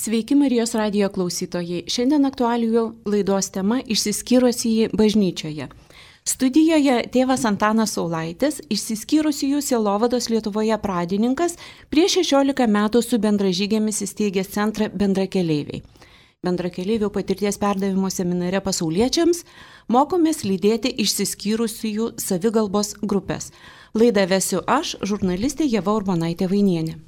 Sveiki Marijos radijo klausytojai. Šiandien aktualijų laidos tema išsiskyrusieji bažnyčioje. Studijoje tėvas Antanas Saulaitis, išsiskyrusiųjų sielovados Lietuvoje pradininkas, prieš 16 metų su bendražygėmis įsteigęs centrą Bendrakeleiviai. Bendrakeleivių patirties perdavimo seminare pasauliečiams mokomės lydėti išsiskyrusiųjų savigalbos grupės. Laidą vesiu aš, žurnalistė Ieva Urbonaitė Vainienė.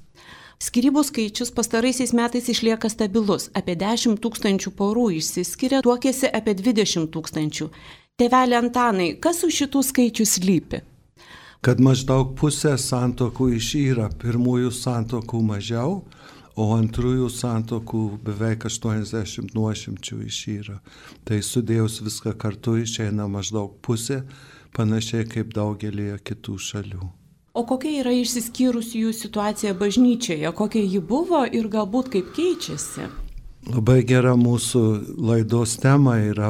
Skyrybų skaičius pastaraisiais metais išlieka stabilus. Apie 10 000 porų išsiskiria, tuokėsi apie 20 000. Tėveli Antanai, kas už šitų skaičių slypi? Kad maždaug pusė santuokų išyra, pirmųjų santuokų mažiau, o antrųjų santuokų beveik 80 nuošimčių išyra. Tai sudėjus viską kartu išeina maždaug pusė, panašiai kaip daugelėje kitų šalių. O kokia yra išsiskyrusiųjų situacija bažnyčioje, kokia ji buvo ir galbūt kaip keičiasi? Labai gera mūsų laidos tema yra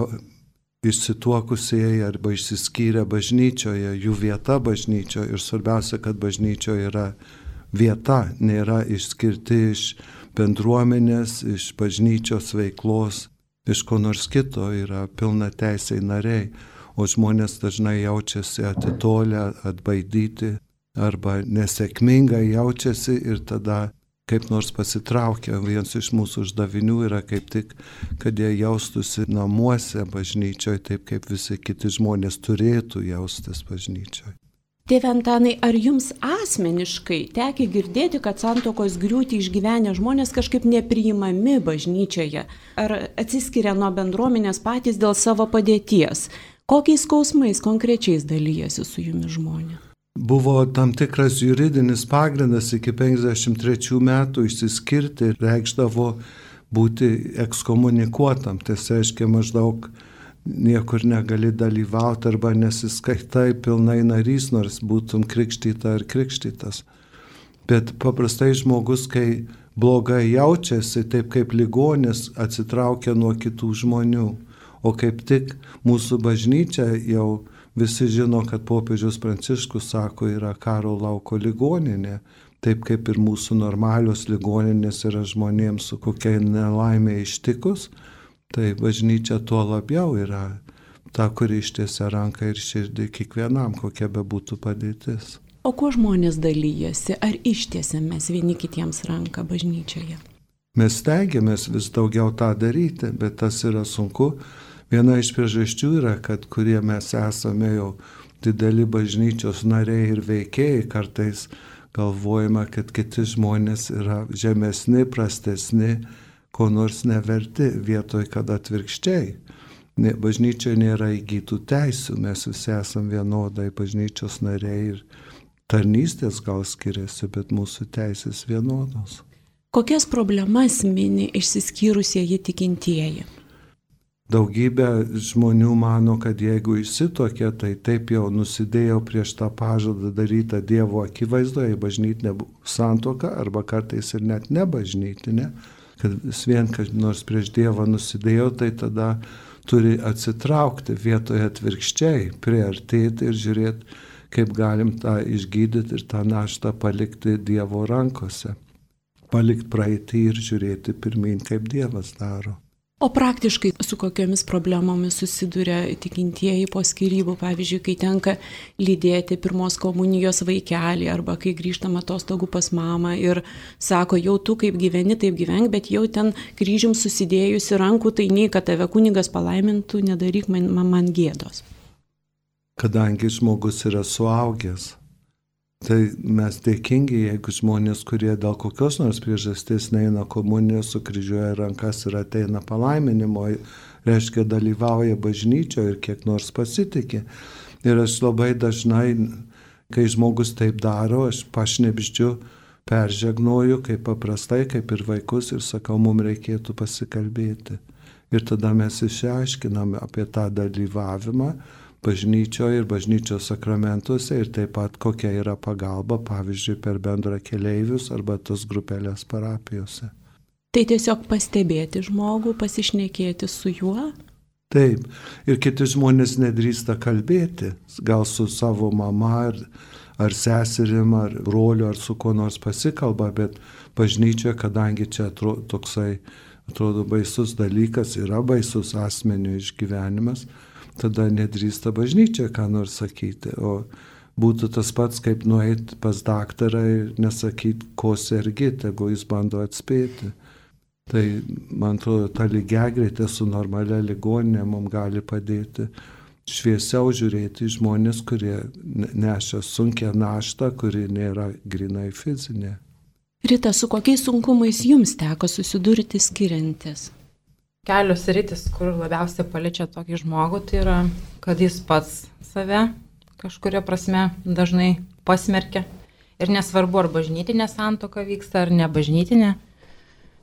išsituokusieji arba išsiskyrę bažnyčioje, jų vieta bažnyčioje ir svarbiausia, kad bažnyčioje yra vieta, nėra išskirti iš bendruomenės, iš bažnyčios veiklos, iš ko nors kito, yra pilna teisiai nariai, o žmonės dažnai jaučiasi atitolę, atbaidyti arba nesėkmingai jaučiasi ir tada kaip nors pasitraukia. Vienas iš mūsų uždavinių yra kaip tik, kad jie jaustųsi namuose bažnyčioje, taip kaip visi kiti žmonės turėtų jaustis bažnyčioje. Tėve Antanai, ar jums asmeniškai tekia girdėti, kad santuokos griūtį išgyvenę žmonės kažkaip nepriimami bažnyčioje? Ar atsiskiria nuo bendruomenės patys dėl savo padėties? Kokiais skausmais konkrečiais dalyjasi su jumis žmonės? Buvo tam tikras juridinis pagrindas iki 53 metų išsiskirti ir reikšdavo būti ekskomunikuotam. Tai reiškia maždaug niekur negali dalyvauti arba nesiskaitai pilnai narys, nors būtum krikštyta ar krikštytas. Bet paprastai žmogus, kai blogai jaučiasi, taip kaip ligonis, atsitraukia nuo kitų žmonių. O kaip tik mūsų bažnyčia jau visi žino, kad popiežius Pranciškus sako, yra karo lauko ligoninė, taip kaip ir mūsų normalios ligoninės yra žmonėms su kokia nelaimė ištikus, tai bažnyčia tuo labiau yra ta, kuri ištiesia ranką ir širdį kiekvienam, kokia bebūtų padėtis. O kuo žmonės dalyjasi? Ar ištiesiam mes vieni kitiems ranką bažnyčioje? Mes stengiamės vis daugiau tą daryti, bet tas yra sunku. Viena iš priežasčių yra, kad kurie mes esame jau dideli bažnyčios nariai ir veikėjai, kartais galvojame, kad kiti žmonės yra žemesni, prastesni, ko nors neverti, vietoj kad atvirkščiai. Bažnyčioje nėra įgytų teisių, mes visi esame vienodai bažnyčios nariai ir tarnystės gal skiriasi, bet mūsų teisės vienodos. Kokias problemas mini išsiskyrusieji tikintieji? Daugybė žmonių mano, kad jeigu išsituokia, tai taip jau nusidėjo prieš tą pažadą darytą Dievo akivaizdoje, bažnytinė santuoka arba kartais ir net nebažnytinė, kad vis vien, kad nors prieš Dievą nusidėjo, tai tada turi atsitraukti vietoje atvirkščiai, priartėti ir žiūrėti, kaip galim tą išgydyti ir tą naštą palikti Dievo rankose. Palikti praeitį ir žiūrėti pirmyn, kaip Dievas daro. O praktiškai su kokiomis problemomis susiduria tikintieji po skyrybų, pavyzdžiui, kai tenka lydėti pirmos komunijos vaikelį arba kai grįžtama atostogų pas mamą ir sako, jau tu kaip gyveni, taip gyvenk, bet jau ten kryžium susidėjusi rankų, tai nei, kad tave kunigas palaimintų, nedaryk man gėdos. Kadangi žmogus yra suaugęs, tai mes dėkingi, jeigu žmonės, kurie dėl kokios nors priežasties neina komunijos, sukryžiuoja rankas ir ateina palaiminimo, reiškia dalyvauja bažnyčioje ir kiek nors pasitikė. Ir aš labai dažnai, kai žmogus taip daro, aš pašnibždžiu, peržegnoju, kaip paprastai, kaip ir vaikus ir sakau, mums reikėtų pasikalbėti. Ir tada mes išaiškiname apie tą dalyvavimą bažnyčioje ir bažnyčios sakramentuose ir taip pat kokia yra pagalba, pavyzdžiui, per bendrakeleivius arba tos grupelės parapijose. Tai tiesiog pastebėti žmogų, pasišnekėti su juo? Taip, ir kiti žmonės nedrįsta kalbėti, gal su savo mama ar seserim, ar broliu, ar su kuo nors pasikalba, bet bažnyčioje, kadangi čia toksai, atrodo, baisus dalykas, yra baisus asmenio išgyvenimas, tada nedrįsta bažnyčia ką nors sakyti. O būtų tas pats, kaip nueiti pas daktarą ir nesakyti, ko sergi, tegu jis bando atspėti. Tai, man atrodo, ta lygiagretė su normalia ligoninė mums gali padėti šviesiau žiūrėti žmonės, kurie nešia sunkią naštą, kuri nėra grinai fizinė. Rita, su kokiais sunkumais jums teko susidurti skiriantis? Kelios sritis, kur labiausiai paliečia tokį žmogų, tai yra, kad jis pats save kažkuria prasme dažnai pasmerkia. Ir nesvarbu, ar bažnytinė santuoka vyksta, ar ne bažnytinė.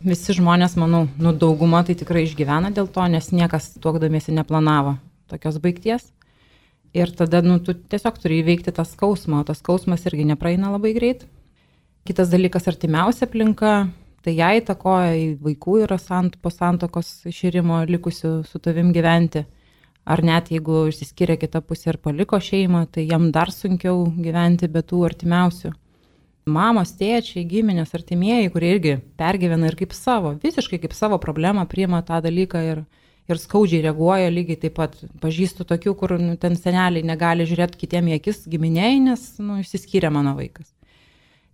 Visi žmonės, manau, dauguma tai tikrai išgyvena dėl to, nes niekas tuokdamiesi neplanavo tokios baigties. Ir tada tu tiesiog turi įveikti tą skausmą, o tas skausmas irgi nepraeina labai greit. Kitas dalykas, artimiausia aplinka, tai ją įtakoja, vaikų yra po santuokos iširimo likusių su tavim gyventi. Ar net jeigu išsiskiria kita pusė ir paliko šeimą, tai jam dar sunkiau gyventi be tų artimiausių. Mamos, tėčiai, giminės, artimieji, kurie irgi pergyvena ir kaip savo, visiškai kaip savo problemą priima tą dalyką ir skaudžiai reaguoja, lygiai taip pat pažįstu tokių, kur ten seneliai negali žiūrėti kitiem į akis giminiai, nes išsiskyrė mano vaikas.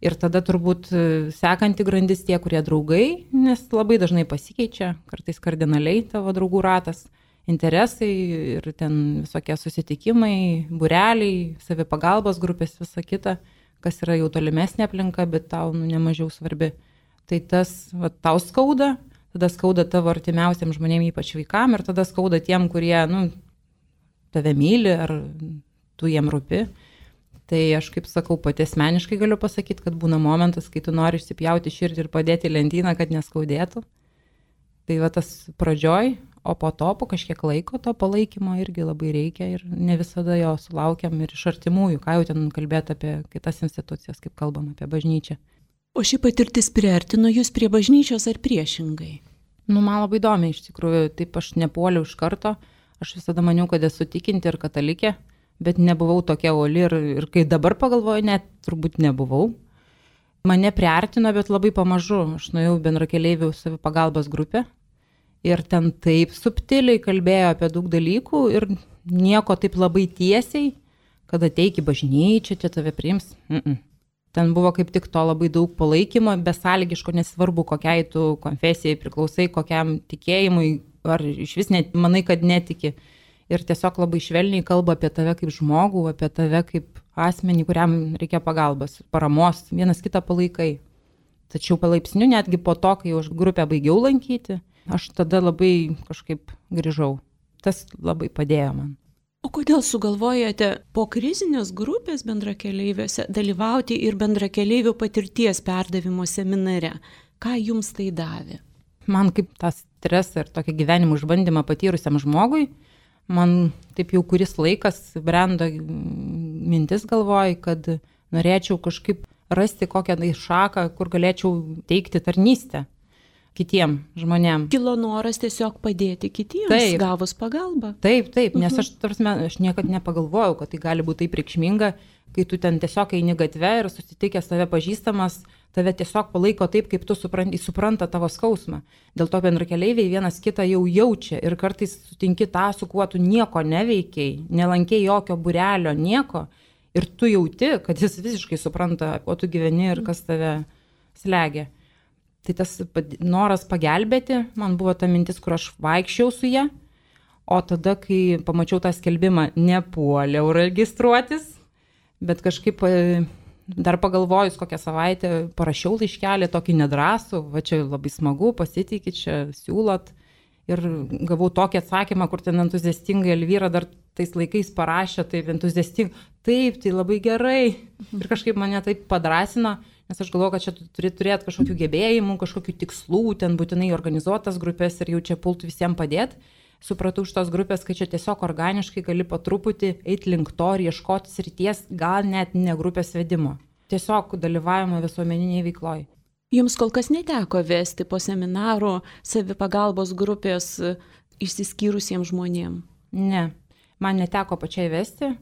Ir tada turbūt sekanti grandis tie, kurie draugai, nes labai dažnai pasikeičia, kartais kardinaliai tavo draugų ratas, interesai ir ten visokie susitikimai, būreliai, savipagalbos grupės, visa kita, kas yra jau tolimesnė aplinka, bet tau nemažiau svarbi. Tai tas tau skauda, tada skauda tavo artimiausiam žmonėm, ypač vaikam, ir tada skauda tiem, kurie tave myli ar tu jiem rūpi. Tai aš, kaip sakau, pati asmeniškai galiu pasakyti, kad būna momentas, kai tu nori išsipjauti širdį ir padėti lentyną, kad neskaudėtų. Tai tas pradžioj, o po to, po kažkiek laiko, to palaikymo irgi labai reikia ir ne visada jo sulaukiam ir iš artimųjų, ką jau ten kalbėti apie kitas institucijas, kaip kalbam apie bažnyčią. O ši patirtis priartino jūs prie bažnyčios ar priešingai? Man labai įdomi, iš tikrųjų, taip aš nepuoliau iš karto, aš visada maniau, kad esu tikinti ir katalikė, bet nebuvau tokia uoli ir kai dabar pagalvoju, net turbūt nebuvau. Mane priartino, bet labai pamažu. Aš nuėjau bendrakeleivių savipagalbos grupę ir ten taip subtiliai kalbėjo apie daug dalykų ir nieko taip labai tiesiai, kad ateik į bažnyčią, čia tave priims. Ten buvo kaip tik to labai daug palaikymo, besąlygiško, nesvarbu, kokiai tu konfesijai priklausai, kokiam tikėjimui, ar iš vis manai, kad netiki. Ir tiesiog labai švelniai kalba apie tave kaip žmogų, apie tave kaip asmenį, kuriam reikia pagalbos, paramos, vienas kitą palaikai. Tačiau palaipsniui, netgi po to, kai aš grupę baigiau lankyti, aš tada labai kažkaip grįžau. Tas labai padėjo man. O kodėl sugalvojate po krizinės grupės bendrakeleiviuose dalyvauti ir bendrakeleivių patirties perdavimo seminare? Ką jums tai davė? Man kaip tą stresą ir tokį gyvenimo išbandymą patyrusiam žmogui, man taip jau kuris laikas brendo mintis galvoj, kad norėčiau kažkaip rasti kokią šaką, kur galėčiau teikti tarnystę kitiem žmonėm. Kilo noras tiesiog padėti kitiems, taip, gavus pagalbą. Taip, nes aš niekad nepagalvojau, kad tai gali būti taip reikšminga, kai tu ten tiesiog eini gatve ir susitikęs tave pažįstamas, tave tiesiog palaiko taip, kaip tu supranta tavo skausmą. Dėl to bendrakeleiviai vienas kitą jau jaučia ir kartais sutinki tą, su kuo tu nieko neveikiai, nelankėjai jokio būrelio, nieko, ir tu jauti, kad jis visiškai supranta, kuo tu gyveni ir kas tave slegia. Tai tas noras pagelbėti, man buvo ta mintis, kur aš vaikščiau su ja, o tada, kai pamačiau tą skelbimą, nepuoliau registruotis, bet kažkaip dar pagalvojus kokią savaitę parašiau laiškelį, tokį nedrąsų, va čia labai smagu, pasitikit, čia siūlot. Ir gavau tokį atsakymą, kur ten entuziastingai Elvyra dar tais laikais parašė, taip entuziastingai, taip, tai labai gerai. Ir kažkaip mane taip padrąsino, nes aš galvoju, kad čia turi turėti kažkokių gebėjimų, kažkokių tikslų, ten būtinai organizuotas grupės ir jau čia pultų visiems padėti. Supratau iš tos grupės, kad čia tiesiog organiškai gali po truputį eiti link to ir ieškoti srities, gal net ne grupės vedimo. Tiesiog dalyvavimo visuomeniniai veikloj. Jums kol kas neteko vesti po seminarų savipagalbos grupės išsiskyrusiems žmonėms? Ne, man neteko pačiai vesti,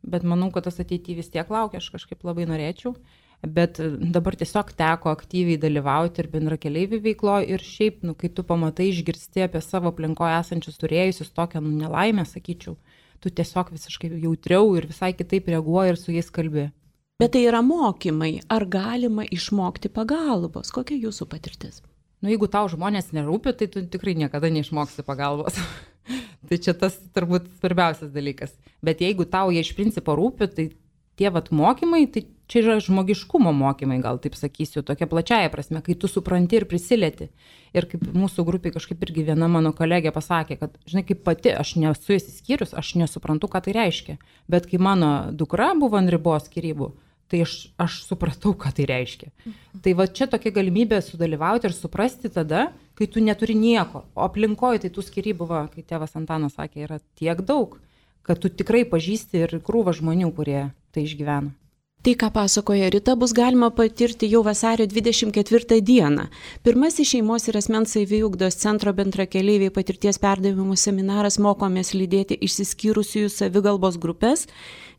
bet manau, kad tas ateityje vis tiek laukia, aš kažkaip labai norėčiau. Bet dabar tiesiog teko aktyviai dalyvauti ir bendrakeleivių veikloje ir šiaip, kai tu pamatai, išgirsti apie savo aplinkoje esančius turėjusius tokią nelaimę, sakyčiau, tu tiesiog visiškai jautriau ir visai kitaip reaguoji ir su jais kalbi. Bet tai yra mokymai. Ar galima išmokti pagalbos? Kokia jūsų patirtis? Jeigu tau žmonės nerūpi, tai tu tikrai niekada neišmoksi pagalbos. Tai čia tas turbūt svarbiausias dalykas. Bet jeigu tau jie iš principo rūpi, tai tie mokymai, tai čia yra žmogiškumo mokymai, gal taip sakysiu, tokia plačiaja prasme, kai tu supranti ir prisilieti. Ir kaip mūsų grupiai kažkaip irgi viena mano kolegė pasakė, kad, žinai, kaip pati, aš nesu išsiskyrus, aš nesuprantu, ką tai reiškia. Bet kai mano dukra buvo ant ribos skyrybų, tai aš supratau, ką tai reiškia. Tai va čia tokia galimybė sudalyvauti ir suprasti tada, kai tu neturi nieko. O aplinkoje tai tų skyrybų, kai tėvas Antanas sakė, yra tiek daug, kad tu tikrai pažįsti ir krūvą žmonių, kurie tai išgyvena. Tai, ką pasakoja Rita, bus galima patirti jau vasario 24 dieną. Pirmasis šeimos ir asmens saviugdos centro bendrakeleiviai patirties perdavimų seminaras Mokomės lydėti išsiskyrusiųjų savigalbos grupės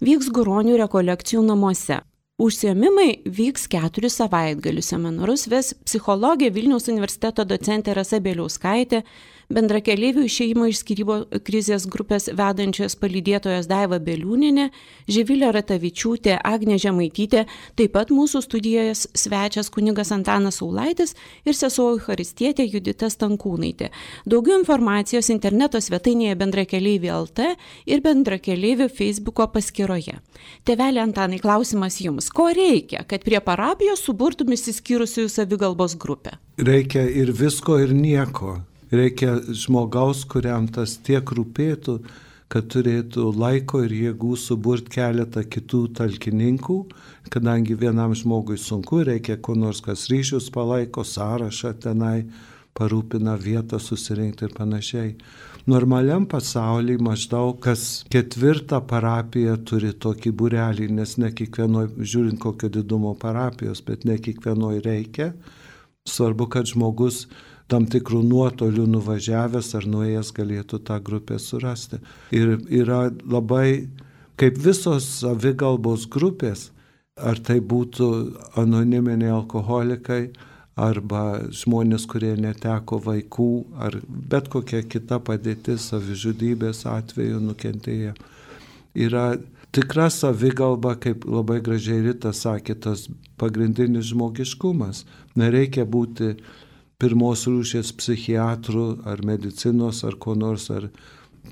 vyks Guronių rekolekcijų namuose. Užsiėmimai vyks 4 savaitgalius. Seminarus ves psichologė Vilniaus universiteto docentė Rasa Bieliauskaitė, bendrakeleivių išėjimo iš skyrybų krizės grupės vedančios palydėtojos Daiva Beliūnienė, Živilė Ratavičiūtė, Agnė Žemaitytė, taip pat mūsų studijoje svečias kunigas Antanas Saulaitis ir sesuo Eucharistietė Judita Stankūnaitė. Daugiau informacijos interneto svetainėje bendrakeleiviai.lt ir bendrakeleivių Facebooko paskyroje. Tėvelė Antanai, klausimas jums. Ko reikia, kad prie parapijos suburtum išsiskyrusiųjų savigalbos grupę? Reikia ir visko, ir nieko. Reikia žmogaus, kuriam tas tiek rūpėtų, kad turėtų laiko ir jėgų suburti keletą kitų talkininkų, kadangi vienam žmogui sunku, reikia ko nors, kas ryšius palaiko, sąrašą tenai, parūpina vietą susirinkti ir panašiai. Normaliam pasaulyje maždaug kas 4 parapija turi tokį būrelį, nes ne kiekvienoj, žiūrint kokio didumo parapijos, bet ne kiekvienoj reikia. Svarbu, kad žmogus tam tikrų nuotolių nuvažiavęs ar nuėjęs galėtų tą grupę surasti. Ir yra labai, kaip visos savigalbos grupės, ar tai būtų anoniminiai alkoholikai, arba žmonės, kurie neteko vaikų, ar bet kokia kita padėtis, savižudybės atveju nukentėję. Yra tikra savigalba, kaip labai gražiai Rita sakė, tas pagrindinis žmogiškumas. Nereikia būti pirmos rūšies psichiatrų ar medicinos ar ko nors ar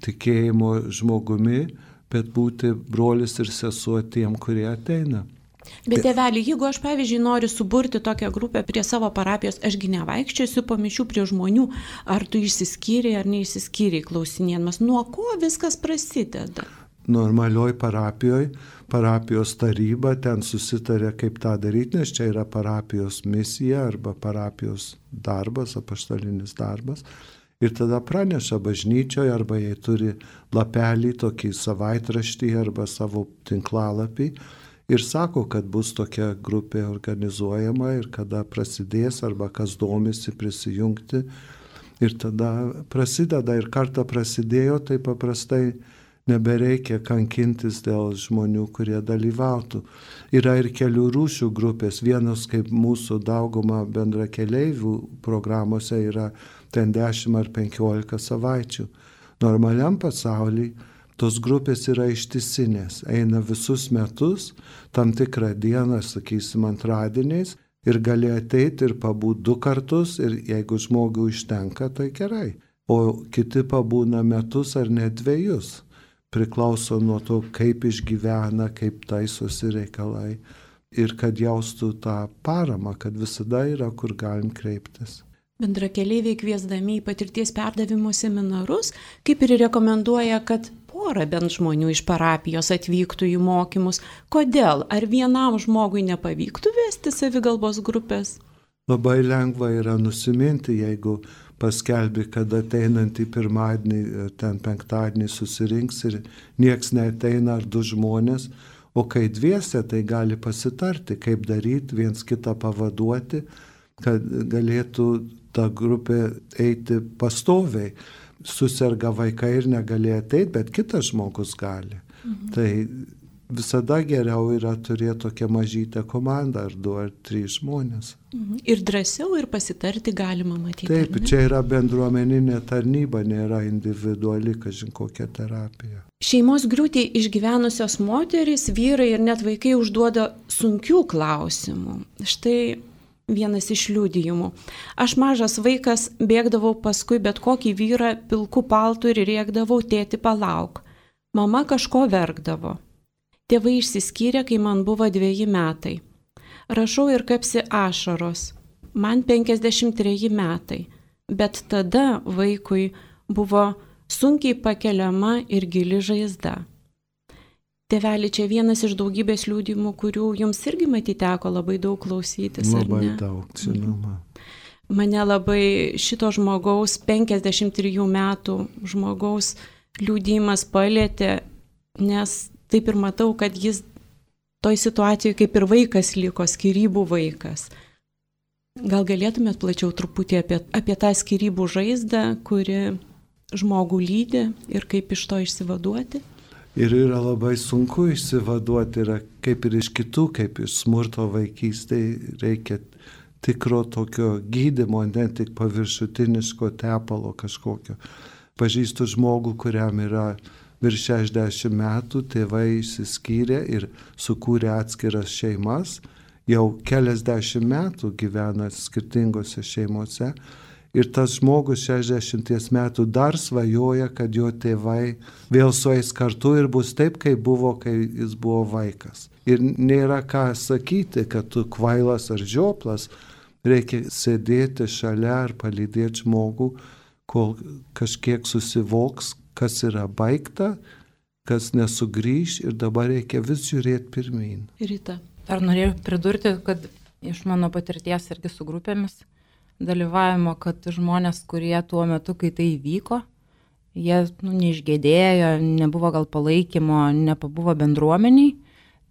tikėjimo žmogumi, bet būti brolis ir sesuo tiem, kurie ateina. Bet tėvelį, jeigu aš, pavyzdžiui, noriu suburti tokią grupę prie savo parapijos, ašgi nevaikščiosiu po mišių prie žmonių, ar tu išsiskyrei ar neišsiskyrei klausinėdamas, nuo ko viskas prasideda? Normalioj parapijos taryba ten susitarė, kaip tą daryti, nes čia yra parapijos misija arba parapijos darbas, apaštalinis darbas. Ir tada praneša bažnyčioje, arba jie turi lapelį, tokį savaitraštį arba savo tinklalapį ir sako, kad bus tokia grupė organizuojama ir kada prasidės, arba kas domisi prisijungti. Ir tada prasideda, ir kartą prasidėjo, tai paprastai nebereikia kankintis dėl žmonių, kurie dalyvautų. Yra ir kelių rūšių grupės. Vienos, kaip mūsų dauguma bendrakeleivių programuose, yra ten 10 ar 15 savaičių. Normaliam pasaulyje tos grupės yra ištisinės. Eina visus metus, tam tikrą dieną, sakysim, antradieniais, ir gali ateiti ir pabūti 2 kartus, ir jeigu žmogui užtenka, tai gerai. O kiti pabūna metus ar net 2. Priklauso nuo to, kaip išgyvena, kaip taisosi reikalai ir kad jaustų tą paramą, kad visada yra, kur galim kreiptis. Bendrakeleiviai kviesdami į patirties perdavimo seminarus, kaip ir rekomenduoja, kad porą bent žmonių iš parapijos atvyktų į mokymus. Kodėl? Ar vienam žmogui nepavyktų vesti savigalbos grupės? Labai lengva yra nusiminti, jeigu paskelbi, kad ateinantį pirmadienį, ten penktadienį susirinks ir nieks neateina ar 2 žmonės, o kai dviese, tai gali pasitarti, kaip daryti, viens kitą pavaduoti, kad galėtų ta grupė eiti pastoviai. Suserga vaikai ir negali ateiti, bet kitas žmogus gali. Tai visada geriau yra turėti tokią mažytę komandą, ar 2 ar 3 žmonės. Ir drąsiau ir pasitarti galima matyti. Taip, čia yra bendruomeninė tarnyba, nėra individuali, kažin kokia terapija. Šeimos griūtį išgyvenusios moterys, vyrai ir net vaikai užduoda sunkių klausimų. Štai vienas iš liudijimų. Aš mažas vaikas bėgdavau paskui bet kokį vyrą pilku paltu ir rėkdavau: tėti, palauk. Mama kažko verkdavo. Tėvai išsiskyrė, kai man buvo 2 metai. Rašau ir kapsi ašaros. Man 53 metai, bet tada vaikui buvo sunkiai pakeliama ir gili žaizda. Tėveli, čia vienas iš daugybės liudijimų, kurių jums irgi matyti teko labai daug klausytis. Labai daug, žinoma. Mane labai šito žmogaus, 53 metų žmogaus liudijimas palėtė, nes taip ir matau, kad jis toj situacijoje kaip ir vaikas liko, skyrybų vaikas. Gal galėtumėt plačiau truputį apie tą skyrybų žaizdą, kuri žmogų lydi ir kaip iš to išsivaduoti? Ir yra labai sunku išsivaduoti, yra kaip ir iš kitų, kaip iš smurto vaikystėje, reikia tikro tokio gydymo, ne tik paviršutiniško tepalo kažkokio. Pažįstu žmogų, kuriam yra virš 60 metų, tėvai išsiskyrė ir sukūrė atskiras šeimas, jau keliasdešimt metų gyvena skirtingose šeimose. Ir tas žmogus 60 metų dar svajoja, kad jo tėvai vėl sueis kartu ir bus taip, kaip buvo, kai jis buvo vaikas. Ir nėra ką sakyti, kad tu kvailas ar žioplas, reikia sėdėti šalia ar palydėti žmogų, kol kažkiek susivoks, kas yra baigta, kas nesugrįš ir dabar reikia vis žiūrėti pirmyn. Rita. Dar norėjau pridurti, kad iš mano patirties irgi su grupėmis dalyvavimo, kad žmonės, kurie tuo metu, kai tai įvyko, jie neišgėdėjo, nebuvo gal palaikymo, nepabuvo bendruomeniai,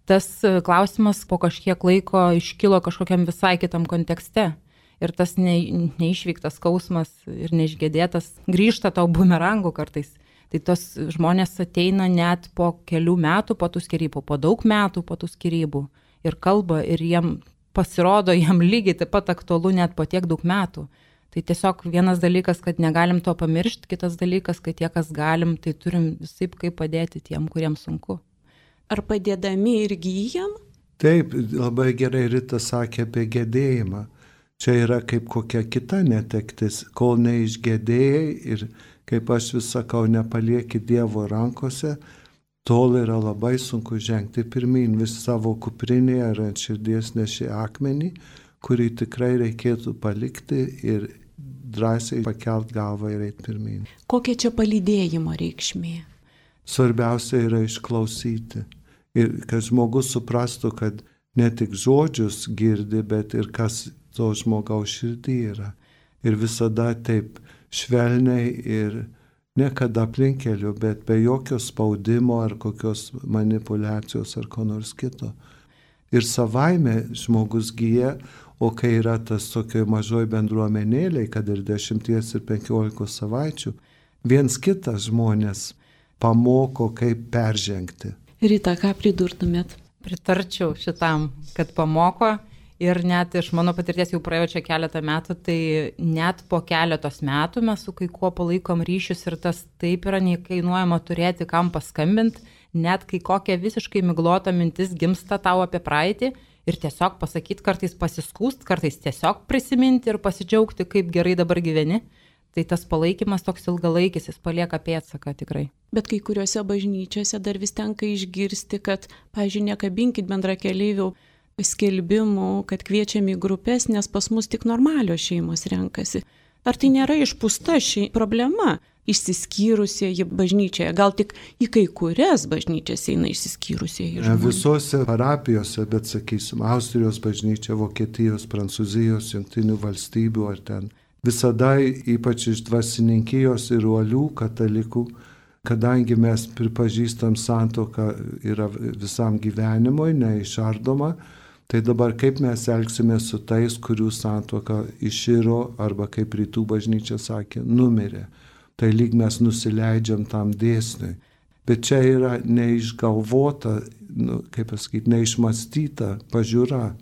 tas klausimas po kažkiek laiko iškilo kažkokiam visai kitam kontekste. Ir tas neišvyktas skausmas ir neišgėdėtas grįžta tau bumerangų kartais. Tai tos žmonės ateina net po kelių metų po tų skyrybų, po daug metų po tų skyrybų ir kalba ir jiem pasirodo, jam lygiai taip pat aktualu net po tiek daug metų. Tai tiesiog vienas dalykas, kad negalim to pamiršti, kitas dalykas, kad tie, kas galim, tai turim visaip kaip padėti tiem, kuriems sunku. Ar padėdami ir gyjam? Taip, labai gerai Rita sakė apie gedėjimą. Čia yra kaip kokia kita netektis, kol neišgedėjai ir kaip aš vis sakau, nepalieki Dievo rankose, tol yra labai sunku žengti pirmyn, vis savo kuprinėje ar ant širdies neši akmenį, kurį tikrai reikėtų palikti ir drąsiai pakelt galvą ir eiti pirmyn. Kokia čia palydėjimo reikšmė? Svarbiausia yra išklausyti ir kad žmogus suprastų, kad ne tik žodžius girdi, bet ir kas to žmogaus širdį yra. Ir visada taip švelniai ir nekada aplinkeliu, bet be jokio spaudimo ar kokios manipulacijos ar ko nors kito. Ir savaime žmogus gyja, o kai yra tas tokioj mažoj bendruomenėlėj, kad ir 10 ir 15 savaičių, viens kitas žmonės pamoko, kaip peržengti. Rita, ką pridurtumėt? Pritarčiau šitam, kad pamoko. Ir net iš mano patirties jau praėjo čia keletą metų, tai net po keletos metų mes su kai kuo palaikom ryšius ir tas taip yra nekainuojama turėti kam paskambinti, net kai kokia visiškai miglota mintis gimsta tau apie praeitį ir tiesiog pasakyti, kartais pasiskūst, kartais tiesiog prisiminti ir pasidžiaugti, kaip gerai dabar gyveni. Tai tas palaikymas toks ilgalaikis, jis palieka pėdsaką tikrai. Bet kai kuriuose bažnyčiose dar vis tenka išgirsti, kad, pavyzdžiui, nekabinkit bendrakeleivių skelbimų, kad kviečiami į grupės, nes pas mus tik normalios šeimos renkasi. Ar tai nėra išpūsta ši problema išsiskyrusieji bažnyčioje? Gal tik į kai kurias bažnyčias eina išsiskyrusieji žmonės? Visose parapijose, bet sakysim, Austrijos bažnyčia, Vokietijos, Prancūzijos, Jungtinių valstybių ar ten. Visada, ypač iš dvasininkijos ir uolių katalikų, kadangi mes pripažįstam santuoką yra visam gyvenimui, neišardoma, tai dabar kaip mes elgsime su tais, kurių santuoka iširo arba kaip rytų bažnyčia sakė, numirė. Tai lyg mes nusileidžiam tam dėsniui. Bet čia yra neišgalvota, kaip pasakyti, neišmastyta pažiūra.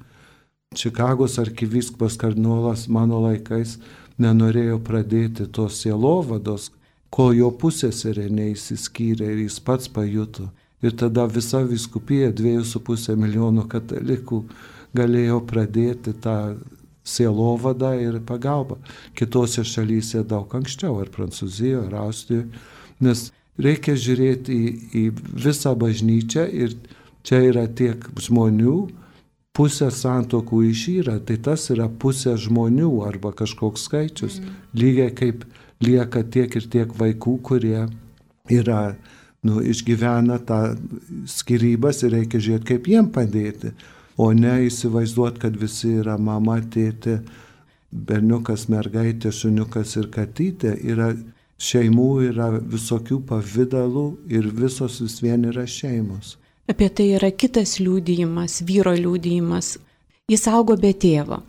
Čikagos arkivyskupas kardinolas mano laikais nenorėjo pradėti tos sielovados, kol jo pusseserė neįsiskyrė ir jis pats pajuto. Ir tada visa vyskupija, 2,5 milijono katalikų, galėjo pradėti tą sielovadą ir pagalbą. Kitose šalyse daug anksčiau, ar Prancūzijoje, ar Austrijoje, nes reikia žiūrėti į visą bažnyčią ir čia yra tiek žmonių, pusė santuokų išyra, tai tas yra pusė žmonių arba kažkoks skaičius. Lygiai kaip lieka tiek ir tiek vaikų, kurie yra, išgyvena tą skyrybas ir reikia žiūrėti, kaip jiem padėti, o ne įsivaizduoti, kad visi yra mama, tėtė, berniukas, mergaitė, šuniukas ir katytė. Šeimų yra visokių pavydalų ir visos vis vien yra šeimos. Apie tai yra kitas liudijimas, vyro liudijimas. Jis augo be tėvo.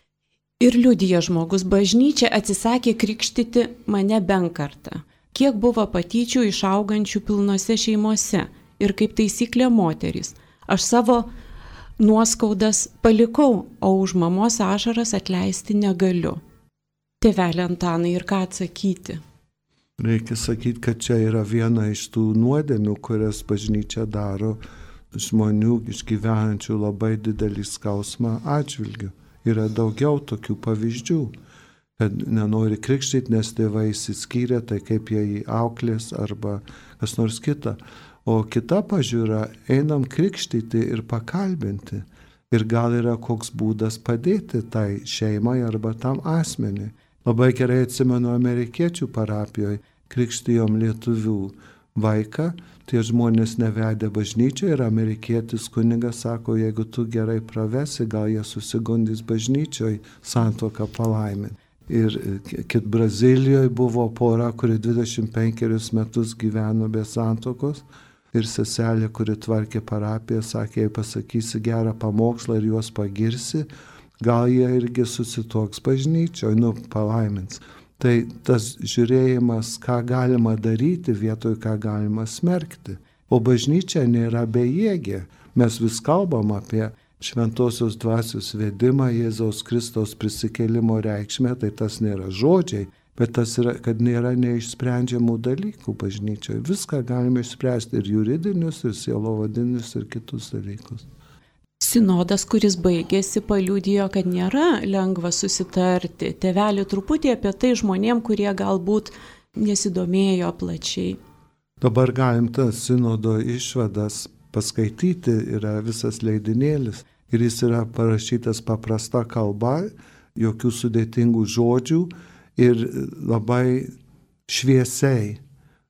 Ir liudija žmogus, bažnyčia atsisakė krikštyti mane bent kartą. Kiek buvo patyčių išaugančių pilnose šeimose ir kaip taisyklė moterys. Aš savo nuoskaudas palikau, o už mamos ašaras atleisti negaliu. Tėvelė Antanai, ir ką atsakyti? Reikia sakyti, kad čia yra viena iš tų nuodėmių, kurias bažnyčia daro žmonių išgyvenančių labai didelį skausmą atžvilgiu. Yra daugiau tokių pavyzdžių, kad nenori krikštyti, nes tėvai išsiskyrė, tai kaip jie jį auklės arba kas nors kita. O kita pažiūra, einam krikštyti ir pakalbinti. Ir gal yra koks būdas padėti tai šeimai arba tam asmeniui. Labai gerai atsimenu amerikiečių parapijoje, krikštijom lietuvių vaiką, tie žmonės nevedė bažnyčią ir amerikietis kunigas sako, jeigu tu gerai pravesi, gal jie susigundys bažnyčioj santuoką palaiminti. Ir Brazilijoje buvo pora, kuri 25 metus gyveno be santuokos ir seselė, kuri tvarkė parapiją, sakė, jei pasakysi gerą pamokslą ir juos pagirsi, gal jie irgi susituoks bažnyčioje, palaimins. Tai tas žiūrėjimas, ką galima daryti vietoj, ką galima smerkti. O bažnyčia nėra bejėgė. Mes vis kalbam apie šventosios dvasios vedimą, Jėzaus Kristaus prisikėlimo reikšmę, tai tas nėra žodžiai, bet tas yra, kad nėra neišsprendžiamų dalykų bažnyčioje. Viską galime išspręsti, ir juridinius, ir sielovadinius, ir kitus dalykus. Sinodas, kuris baigėsi, paliudijo, kad nėra lengva susitarti. Tėvelį truputį apie tai žmonėm, kurie galbūt nesidomėjo plačiai. Dabar galim tas sinodo išvadas paskaityti, yra visas leidinėlis. Ir jis yra parašytas paprasta kalba, jokių sudėtingų žodžių ir labai šviesiai.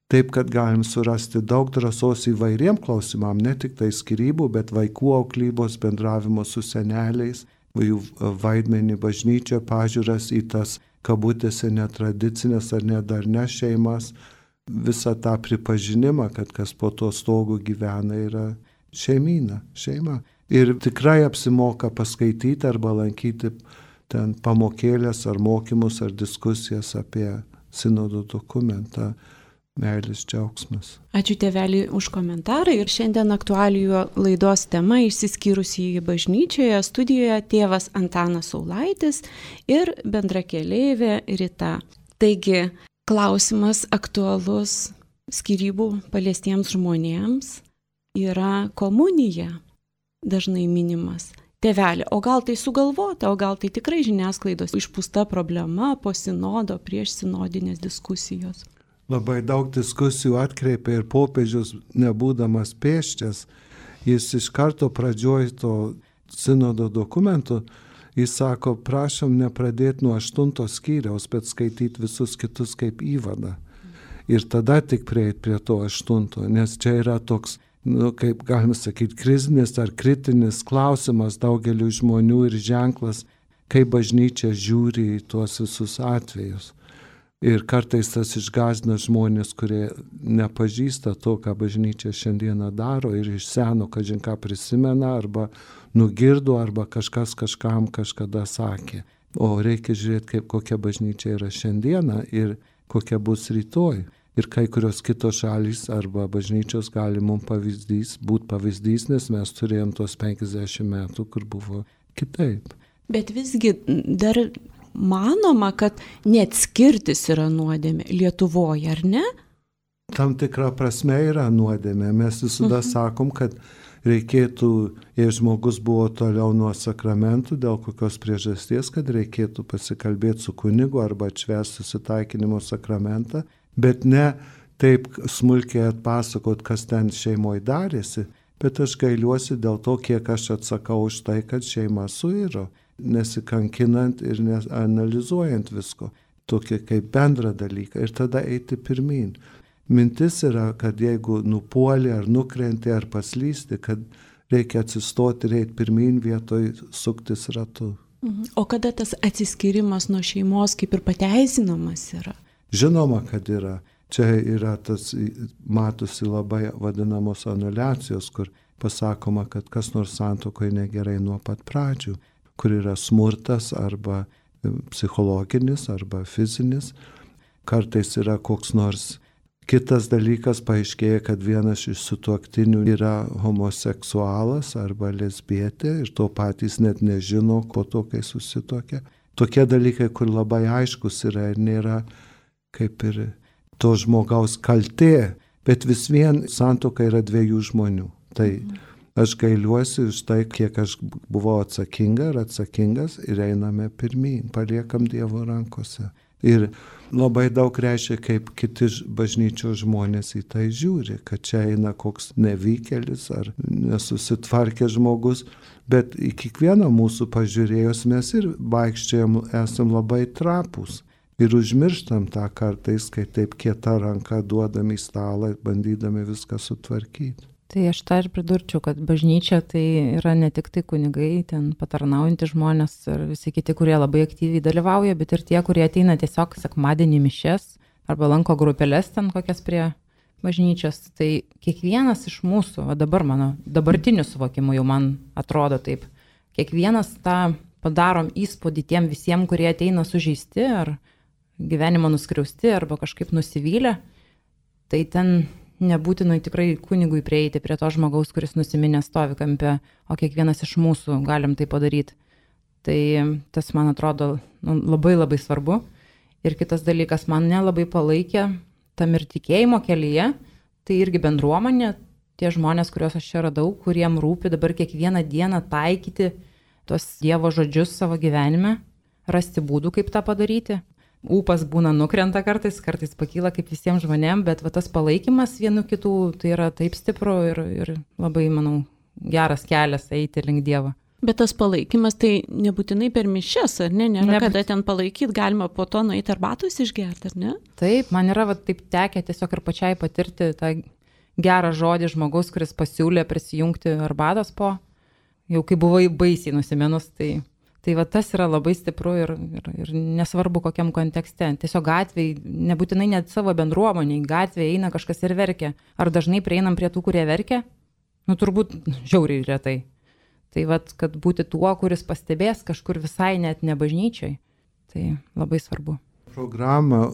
Taip, kad galim surasti daug drąsos įvairiem klausimam, ne tik tai skyrybų, bet vaikų auklybos, bendravimo su seneliais, jų vaidmenį bažnyčio, pažiūras į tas kabutėse netradicinės ar nedarnes šeimas, visą tą pripažinimą, kad kas po to stogu gyvena, yra šeima. Ir tikrai apsimoka paskaityti arba lankyti ten pamokėlės ar mokymus ar diskusijas apie sinodo dokumentą. Meilės džiaugsmas. Ačiū tėvelį už komentarą ir šiandien aktualijų laidos tema išsiskyrusi bažnyčioje studijoje tėvas Antanas Saulaitis ir bendrakeleivė Rita. Taigi, klausimas aktualus skyrybų paliestiems žmonėms yra komunija, dažnai minimas. Tėvelė, o gal tai sugalvota, o gal tai tikrai žiniasklaidos išpūsta problema po sinodo prieš sinodinės diskusijos? Labai daug diskusijų atkreipė ir popiežius, nebūdamas pėsčias, jis iš karto pradžioj to sinodo dokumento, jis sako, prašom nepradėti nuo 8 skyriaus, bet skaityti visus kitus kaip įvadą. Ir tada tik prieiti prie to 8, nes čia yra toks, kaip galima sakyti, krizinis ar kritinis klausimas daugeliu žmonių ir ženklas, kaip bažnyčia žiūri į tuos visus atvejus. Ir kartais tas išgąsdina žmonės, kurie nepažįsta to, ką bažnyčia šiandieną daro ir iš seno kažin ką prisimena arba nugirdo arba kažkas kažkam kažkada sakė. O reikia žiūrėti, kokia bažnyčia yra šiandieną ir kokia bus rytoj. Ir kai kurios kitos šalys arba bažnyčios gali mums būti pavyzdys, nes mes turėjom tos 50 metų, kur buvo kitaip. Bet visgi dar manoma, kad neatskirtis yra nuodėmė Lietuvoje, ar ne? Tam tikra prasme yra nuodėmė. Mes visada sakom, kad reikėtų, jei žmogus buvo toliau nuo sakramentų, dėl kokios priežasties, kad reikėtų pasikalbėti su kunigu arba atšvęsti susitaikinimo sakramentą, bet ne taip smulkiai atpasakot, kas ten šeimoje darėsi, bet aš gailiuosi dėl to, kiek aš atsakau už tai, kad šeima suiro, nesikankinant ir analizuojant visko, tokį kaip bendrą dalyką ir tada eiti pirmin. Mintis yra, kad jeigu nupuoli ar nukrenti ar paslysti, kad reikia atsistoti ir eiti pirmin vietoj suktis ratu. O kada tas atsiskyrimas nuo šeimos kaip ir pateisinamas yra? Žinoma, kad yra. Čia yra tas, matosi labai vadinamos anuliacijos, kur pasakoma, kad kas nors santuokoje negerai nuo pat pradžių, kur yra smurtas arba psichologinis arba fizinis. Kartais yra koks nors kitas dalykas, paaiškėja, kad vienas iš sutuoktinių yra homoseksualas arba lesbietė ir to patys net nežino, po to, kai susituokia. Tokie dalykai, kur labai aiškus yra ir nėra kaip ir to žmogaus kaltė, bet vis vien santuoka yra dviejų žmonių. Tai aš gailiuosi už tai, kiek aš buvau atsakinga ir atsakingas ir einame pirmyn, paliekam Dievo rankose. Ir labai daug reiškia, kaip kiti bažnyčios žmonės į tai žiūri, kad čia eina koks nevykėlis ar nesusitvarkė žmogus, bet į kiekvieną mūsų pažiūrėjus mes ir vaikščiojam, esam labai trapūs. Ir užmirštam tą kartais, kai taip kieta ranka duodam į stalą, bandydami viską sutvarkyti. Tai aš tą ir pridurčiau, kad bažnyčia tai yra ne tik tai kunigai, ten patarnaujantys žmonės ir visi kiti, kurie labai aktyviai dalyvauja, bet ir tie, kurie ateina tiesiog sekmadienį mišias arba lanko grupelės ten kokias prie bažnyčios. Tai kiekvienas iš mūsų, o dabar mano dabartiniu suvokimu jau man atrodo taip, kiekvienas tą padarom įspūdį tiem visiems, kurie ateina sužeisti ar gyvenimo nuskriausti arba kažkaip nusivylę, tai ten nebūtinai tikrai kunigui prieiti prie to žmogaus, kuris nusiminęs stovi kampe, o kiekvienas iš mūsų galim tai padaryti. Tai tas, man atrodo, labai labai svarbu. Ir kitas dalykas, man nelabai palaikė tam ir tikėjimo kelyje, tai irgi bendruomenė, tie žmonės, kuriuos aš čia radau, kuriem rūpi dabar kiekvieną dieną taikyti tuos Dievo žodžius savo gyvenime, rasti būdų, kaip tą padaryti. Ūpas būna nukrenta kartais pakyla kaip visiems žmonėms, bet va, tas palaikymas vienų kitų tai yra taip stipru ir labai, manau, geras kelias eiti link Dievo. Bet tas palaikymas tai nebūtinai per mišias, ar ne? Nėra kada ten palaikyti, galima po to nueiti arbatos išgerti, ar ne? Taip, man yra taip tekę tiesiog ir pačiai patirti tą gerą žodį žmogaus, kuris pasiūlė prisijungti arbatos po, jau kai buvai baisiai nusiminus, tai va tas yra labai stipru ir nesvarbu kokiam kontekste. Tiesiog gatvėj, nebūtinai net savo bendruomeniai, gatvėje eina kažkas ir verkia. Ar dažnai prieinam prie tų, kurie verkia? Turbūt žiauriai retai. Tai va, kad būti tuo, kuris pastebės kažkur visai net ne bažnyčiai, tai labai svarbu. Programą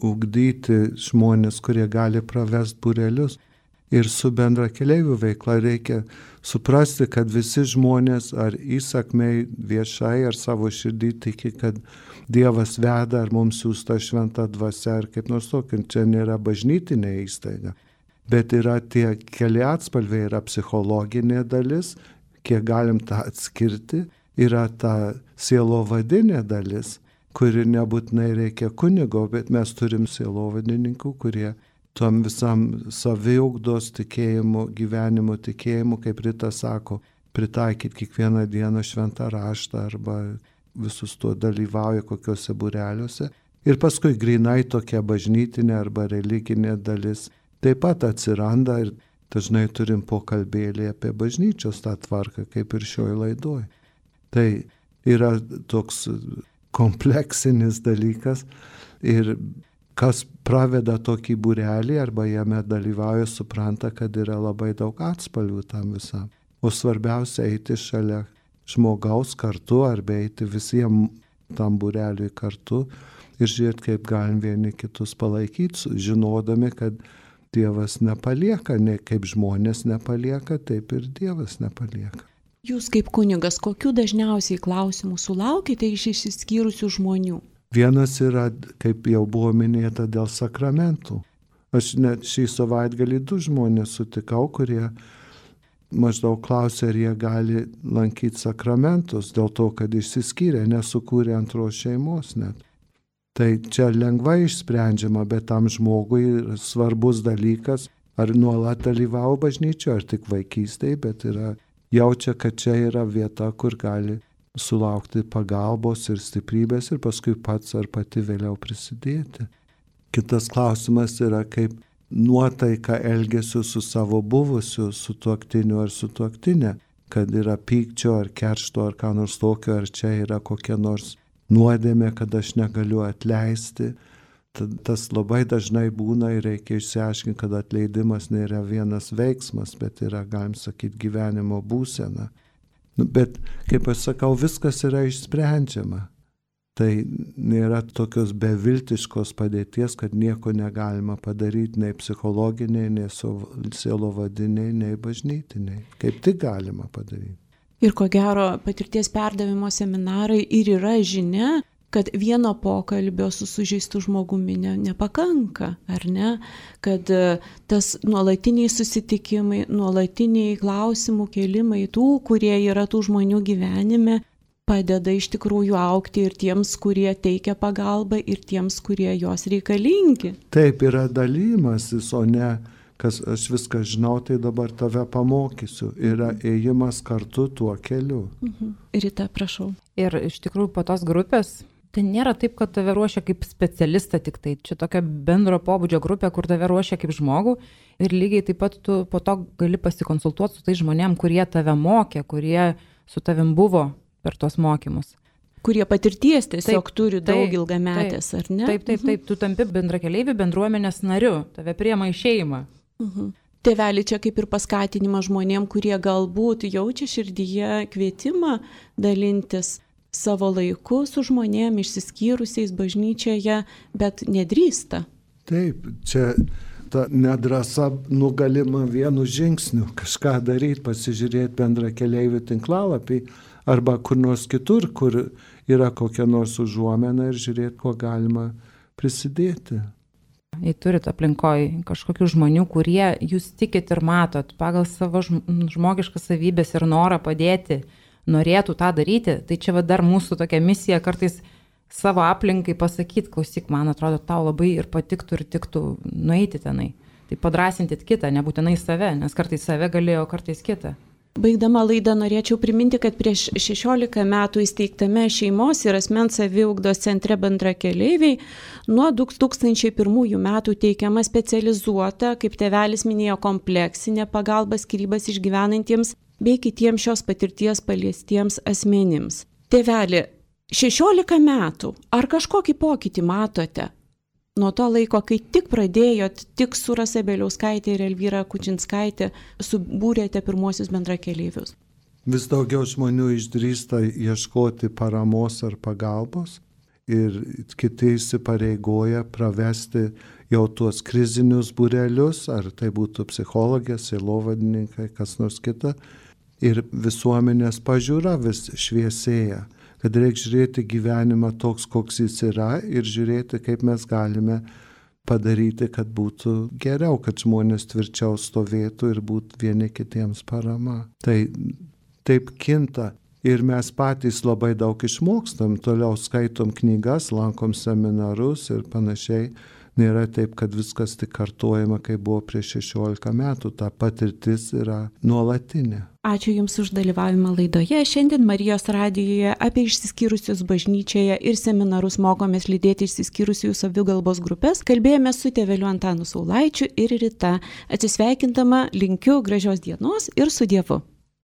ugdyti žmonės, kurie gali pravest būrelius. Ir su bendra keleivių veikla reikia suprasti, kad visi žmonės ar įsakmiai viešai ar savo širdį tiki, kad Dievas veda ar mums siųsta šventa dvasia ar kaip nors tokio. Čia nėra bažnytinė įstaiga, bet yra tie keli atspalviai, yra psichologinė dalis, kiek galim tą atskirti, yra ta sielovadinė dalis, kuri nebūtinai reikia kunigo, bet mes turim sielovadininkų, kurie tom visam saviugdos tikėjimu, gyvenimo tikėjimu, kaip Rita sako, pritaikyti kiekvieną dieną šventą raštą arba visus tuo dalyvauja kokiuose būreliuose. Ir paskui grinai tokia bažnytinė arba religinė dalis taip pat atsiranda ir dažnai turim pokalbėlį apie bažnyčios tą tvarką, kaip ir šioj laidoj. Tai yra toks kompleksinis dalykas ir kas praveda tokį būrelį arba jame dalyvauja, supranta, kad yra labai daug atspalvių tam visam. O svarbiausia eiti šalia žmogaus kartu arba eiti visiems tam būreliui kartu ir žiūrėti, kaip galim vieni kitus palaikyti, žinodami, kad Dievas nepalieka, ne kaip žmonės nepalieka, taip ir Dievas nepalieka. Jūs kaip kunigas, kokių dažniausiai klausimų sulaukite iš išsiskyrusių žmonių? Vienas yra, kaip jau buvo minėta, dėl sakramentų. Aš net šį savaitgalį 2 žmonės sutikau, kurie maždaug klausė, ar jie gali lankyti sakramentus, dėl to, kad išsiskyrė, nesukūrė antros šeimos net. Tai čia lengvai išsprendžiama, bet tam žmogui svarbus dalykas, ar nuolat dalyvavo bažnyčioje, ar tik vaikystėje, bet jaučia, kad čia yra vieta, kur gali sulaukti pagalbos ir stiprybės ir paskui pats ar pati vėliau prisidėti. Kitas klausimas yra, kaip nuotaika elgesiu su savo buvusiu sutuoktiniu ar sutuoktinė, kad yra pykčio ar keršto ar ką nors tokio, ar čia yra kokia nors nuodėmė, kad aš negaliu atleisti. Tas labai dažnai būna ir reikia išsiaiškinti, kad atleidimas nėra vienas veiksmas, bet yra, galim sakyti, gyvenimo būsena. Bet, kaip aš sakau, viskas yra išsprendžiama. Tai nėra tokios beviltiškos padėties, kad nieko negalima padaryti nei psichologiniai, nei sielovadiniai, nei bažnytiniai. Kaip tik galima padaryti. Ir ko gero, patirties perdavimo seminarai ir yra žinia, kad vieno pokalbio su sužeistu žmogumi nepakanka, ar ne? Kad tas nuolatiniai susitikimai, nuolatiniai klausimų kėlimai tų, kurie yra tų žmonių gyvenime, padeda iš tikrųjų augti ir tiems, kurie teikia pagalbą, ir tiems, kurie jos reikalingi. Taip, yra dalymasis, o ne, kas aš viską žinau, tai dabar tave pamokysiu. Yra ėjimas kartu tuo keliu. Rita, prašau. Ir iš tikrųjų po tos grupės, tai nėra taip, kad tave ruošia kaip specialistą tik tai. Čia tokia bendro pobūdžio grupė, kur tave ruošia kaip žmogų. Ir lygiai taip pat tu po to gali pasikonsultuoti su tais žmonėm, kurie tave mokė, kurie su tavim buvo per tos mokymus. Kurie patirties tiesiog turi daug ilgametės, ar ne? Taip, tu tampi bendrakeleivių bendruomenės nariu, tave priima į šeimą. Tėveli čia kaip ir paskatinimą žmonėm, kurie galbūt jaučia širdyje kvietimą dalintis savo laiku su žmonėm išsiskyrusiais bažnyčioje, bet nedrįsta. Taip, čia ta nedrąsa nugalima vienu žingsniu, kažką daryti, pasižiūrėti bendrakeleivių tinklalapį, arba kur nors kitur, kur yra kokia nors užuomena ir žiūrėti, kuo galima prisidėti. Jei turit aplinkoje kažkokių žmonių, kurie jūs tikit ir matot pagal savo žmogiškas savybės ir norą padėti, norėtų tą daryti, tai čia dar mūsų tokia misija kartais savo aplinkai pasakyti, klausyk, man atrodo, tau labai ir patiktų ir tiktų nueiti tenai. Tai padrasintit kitą, nebūtinai save, nes kartais save galėjo, kartais kitą. Baigdama laidą norėčiau priminti, kad prieš 16 metų įsteigtame šeimos ir asmens saviugdos centre bendrakeleiviai nuo 2001 metų teikiama specializuota, kaip tėvelis minėjo, kompleksinė pagalba skyrybas išgyvenantiems bei kitiems šios patirties paliestiems asmenims. Tėveli, 16 metų, ar kažkokį pokytį matote? Nuo to laiko, kai tik pradėjot, tik su Rasa Bieliauskaitė ir Elvyra Kučinskaitė subūrėte pirmuosius bendrakeleivius. Vis daugiau žmonių išdrįsta ieškoti paramos ar pagalbos ir kiti įsipareigoja pravesti jau tuos krizinius būrelius, ar tai būtų psichologės, sielovadininkai, kas nors kita. Ir visuomenės pažiūra vis šviesėja. Kad reikia žiūrėti gyvenimą toks, koks jis yra ir žiūrėti, kaip mes galime padaryti, kad būtų geriau, kad žmonės tvirčiau stovėtų ir būtų vieni kitiems parama. Tai taip kinta ir mes patys labai daug išmokstam, toliau skaitom knygas, lankom seminarus ir panašiai. Nėra taip, kad viskas tik kartojama, kai buvo prieš 16 metų. Ta patirtis yra nuolatinė. Ačiū Jums už dalyvavimą laidoje. Šiandien Marijos radijoje apie išsiskyrusius bažnyčioje ir seminarus mokomės lydėti išsiskyrusiųjų savigalbos grupės. Kalbėjome su tėveliu Antanu Saulaičiu ir Rita. Atsisveikindama linkiu gražios dienos ir su Dievu.